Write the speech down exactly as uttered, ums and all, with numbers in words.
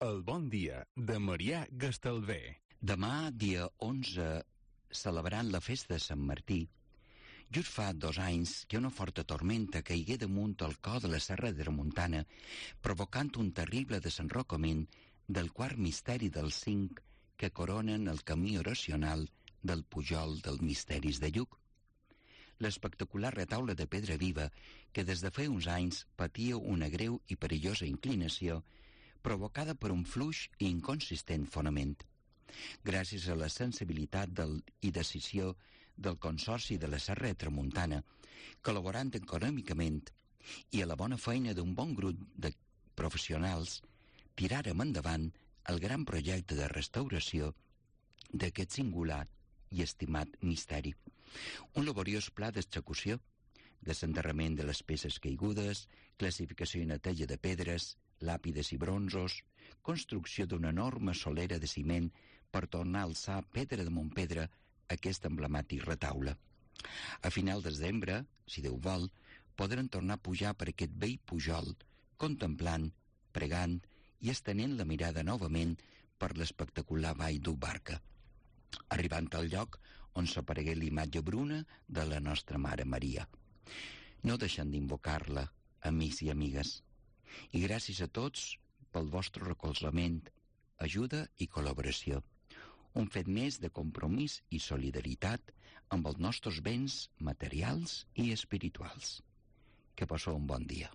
El bon dia de Marià Gastalver. Demà, dia onze, celebrant la festa de Sant Martí, just fa dos anys que una forta tormenta caigué damunt el cor de la Serra de Tramuntana, provocant un terrible desenrocament del quart misteri dels cinc que coronen el camí oracional del Pujol dels Misteris de Lluc. L'espectacular retaule de pedra viva, que des de fa uns anys patia una greu i perillosa inclinació, provocada per un fluix i inconsistent fonament. Gràcies a la sensibilitat del, i decisió del Consorci de la Serra de Tramuntana, col·laborant econòmicament, i a la bona feina d'un bon grup de professionals, tiràrem endavant el gran projecte de restauració d'aquest singular i estimat misteri. Un laboriós pla d'execució, desenterrament de les peces caigudes, classificació i neteja de pedres, làpides i bronzos, construcció d'una enorme solera de ciment per tornar a alçar pedra damunt pedra aquest emblemàtic retaule. A final de desembre, si Déu vol, podran tornar a pujar per aquest vell pujol, contemplant, pregant i estenent la mirada novament per l'espectacular vall d'Ubarca, arribant al lloc on s'aparegué l'imatge bruna de la nostra Mare Maria. No deixen d'invocar-la, amics i amigues. I gràcies a tots pel vostre recolzament, ajuda i col·laboració. Un fet més de compromís i solidaritat amb els nostres béns materials i espirituals. Que passeu un bon dia.